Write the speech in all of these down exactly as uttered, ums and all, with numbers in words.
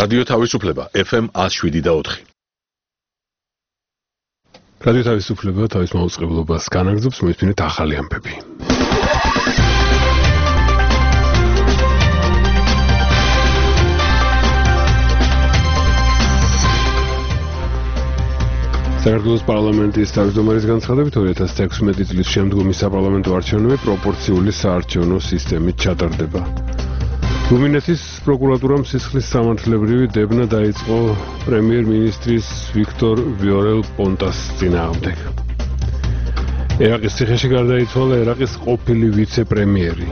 რადიო თავისუფლება ეფ ემ one oh seven და four. რადიო თავისუფლება თავის მაუწყებლობას განაგრძობს, მოისმინეთ ახალი ამბები. საქართველოს პარლამენტის თავმჯდომარის განცხადებით two thousand sixteen წლის შემდგომი საპარლამენტო არჩევნები პროპორციული საარჩევნო სისტემით ჩატარდება. რუმინეთის პროკურატურამ სისხლის სამართლებრივი დევნა დაიწყო პრემიერ-მინისტრის ვიქტორ ვიორელ-პონტას წინააღმდეგ. ერაყის ციხეში გარდაიცვალა ერაყის ყოფილი ვიცე-პრემიერი.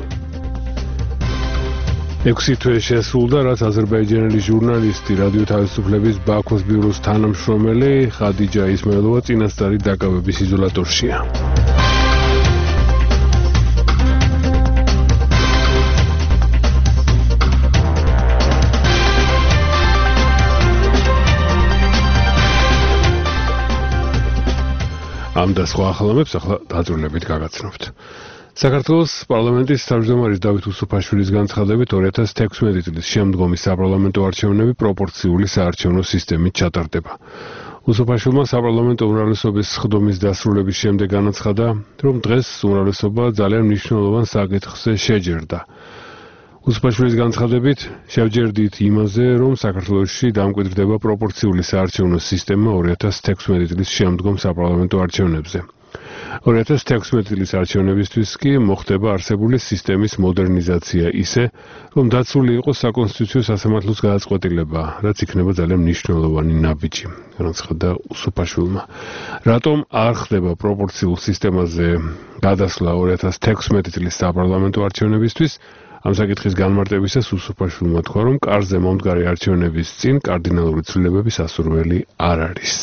ექვსი თვე შესრულდა, რაც აზერბაიჯანელი ჟურნალისტი რადიო თავისუფლების ბაქოს ბიუროს თანამშრომელი ხადიჯა ისმაილოვა წინასწარი დაკავების იზოლატორშია. ამ და სხვა ახალამებს ახლა დაწვრილებით გაგაცნობთ. საქართველოს პარლამენტის თავმჯდომარის დავით უსუფაშვილის განცხადებით two thousand sixteen წლის შემდგომი საპარლამენტო არჩევნები პროპორციული საარჩევნო სისტემით ჩატარდება. უსუფაშვილმა საპარლამენტო უმრავლესობის სხდომის დასრულების შემდეგ განაცხადა, რომ დღეს უმრავლესობა ძალიან მნიშვნელოვან საკითხზე შეჯერდა. უსუფაშვილის განცხადებით შევჯერდით იმაზე, რომ საქართველოში დამკვიდრდება პროპორციული საარჩევნო სისტემა two thousand sixteen წლის შემდგომ საპარლამენტო არჩევნებზე. two thousand sixteen წლის არჩევნებისთვის კი მოხდება არსებული სისტემის მოდერნიზაცია ისე, რომ დაცული იყოს საკონსტიტუციო სასამართლოს გადაწყვეტილება, რაც იქნება ძალიან მნიშვნელოვანი ნაბიჯი, განაცხადა უსუფაშვილმა. რატომ არ ხდება პროპორციულ სისტემაზე გადასვლა two thousand sixteen წლის საპარლამენტო არჩევნებისთვის? ამ საკითხის განმარტებისას უსუფაშვილმა თქვა, რომ კარზე მომდგარი არჩევნების წინ კარდინალური ცვლილებების ასურველი არ არის.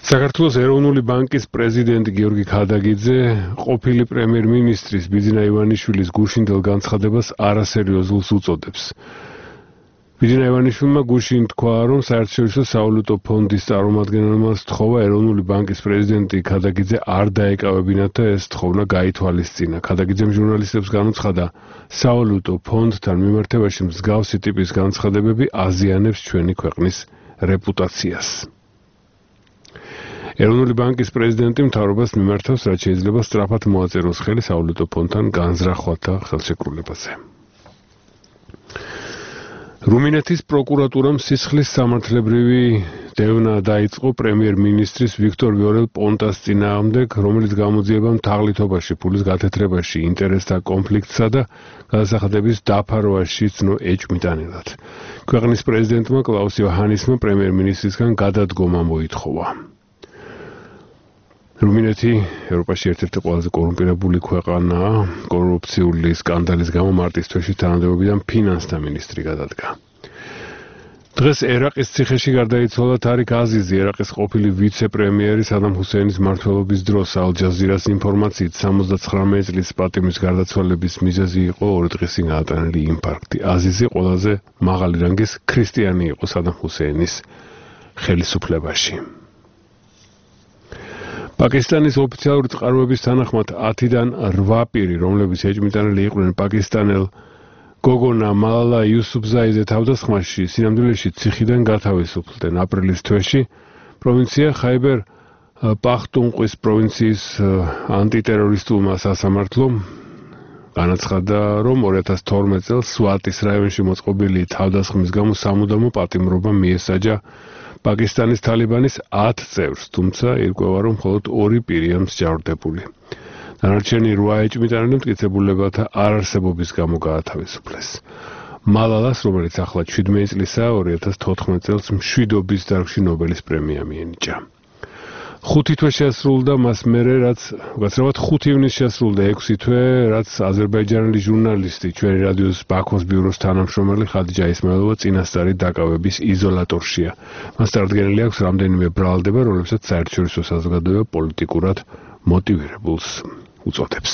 საქართველოს ეროვნული ბანკის პრეზიდენტი გიორგი ქადაგიძე ყოფილი პრემიერ-მინისტრის ბიძინა ივანიშვილის გუშინდელ განცხადებას არასერიოზულს უწოდებს. ბიძინა ივანიშვილმა გუშინ თქვა, რომ საერთაშორისო სავალუტო ფონდის წარმომადგენელმა სთხოვა ეროვნული ბანკის პრეზიდენტი ქადაგიძე არ დაეკავებინათ და ეს თხოვნა გაითვალისწინა. ქადაგიძემ ჟურნალისტებს განუცხადა, სავალუტო ფონდთან მიმართებაში მსგავსი ტიპის განცხადებები აზიანებს ჩვენი ქვეყნის რეპუტაციას. ეროვნული ბანკის პრეზიდენტი მთავრობას მიმართავს, რაც შეიძლება სწრაფად მოაწეროს ხელი სავალუტო ფონდთან განზრახვათა ხელშეკრულებაზე. რუმინეთის პროკურატურამ სისხლის სამართლებრივი დევნა დაიწყო პრემიერ-მინისტრის ვიქტორ ვიორელ-პონტას წინააღმდეგ, რომელიც გამოძიებამ თაღლითობაში, ფულის გათეთრებაში, ინტერესთა კონფლიქტსა და გადასახადების დაფარვაში ცნო ეჭვმიტანილად. ქვეყნის პრეზიდენტმა კლაუს იოჰანისმა პრემიერ-მინისტრისგან გადადგომა მოითხოვა. რუმინეთი ევროპაში ერთ-ერთი ყველაზე კორუმპირებული ქვეყანაა. კორუფციული სკანდალის გამო მარტის თვეში თანამდებობიდან ფინანსთა მინისტრი გადადგა. დღეს ერაყის ციხეში გარდაიცვალა თარიქ აზიზი, ერაყის ყოფილი ვიცე-პრემიერი სადამ ჰუსეინის მმართველობის დროს. ალ-ჯაზირას ინფორმაციით seventy-nine წლის პატიმრის გარდაცვალების მიზეზი იყო ორი დღის წინ გაატანილი ინფარქტი. აზიზი ყველაზე მაღალი რანგის ქრისტიანი იყო სადამ ჰუსეინის ხელისუფლებაში. პაკისტანის ოფიციალური წყაროების თანახმად ten-დან eight პირი, რომლებიც ეჭვმიტანილი იყვნენ პაკისტანელ გოგონა მალალა იუსუფზაიზე თავდასხმაში, სინამდვილეში ციხიდან გათავისუფლდნენ. აპრილის თვეში პროვინცია ხაიბერ პახტუნყვის პროვინციის ანტიტერორისტულმა სასამართლომ განაცხადა, რომ two thousand twelve წელს სვატის რაიონში მოწყობილი თავდასხმის გამო სამუდამო პატიმრობა მიესაჯა პაკისტანის თალიბანის ten წევრს, თუმცა ირკვევა, რომ მხოლოდ ორი პირია მსჯავრდებული. დანარჩენი eight ეჭვმიტანილი მტკიცებულებათა არარსებობის გამო გაათავისუფლეს. მალალას, რომელიც ახლა seventeen წლისაა, two thousand fourteen წელს მშვიდობის დარგში ნობელის პრემია მიენიჭა. ხუთი თვე შესრულდა მას მერე, რაც უკაცრავად ხუთი ივნისს შესრულდა ექვსი თვე, რაც აზერბაიჯანელი ჟურნალისტი, ჩვენი რადიოს ბაქოს ბიუროს თანამშრომელი ხადიჯა ისმაილოვა წინასწარი დაკავების იზოლატორშია. მას წარდგენილი აქვს რამდენიმე ბრალდება, რომლებსაც საერთაშორისო საზოგადოება პოლიტიკურად მოტივირებულს უწოდებს.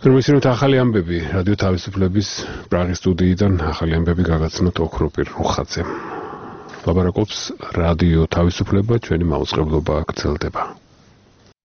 მოისმინეთ ახალი ამბები რადიო თავისუფლების პრაღის სტუდიიდან, ახალი ამბები გაგაცნოთ ოქროპირ რუხაძემ. ლაბარაკობს რადიო თავისუფლება, ჩვენი მაუწყებლობა გრძელდება.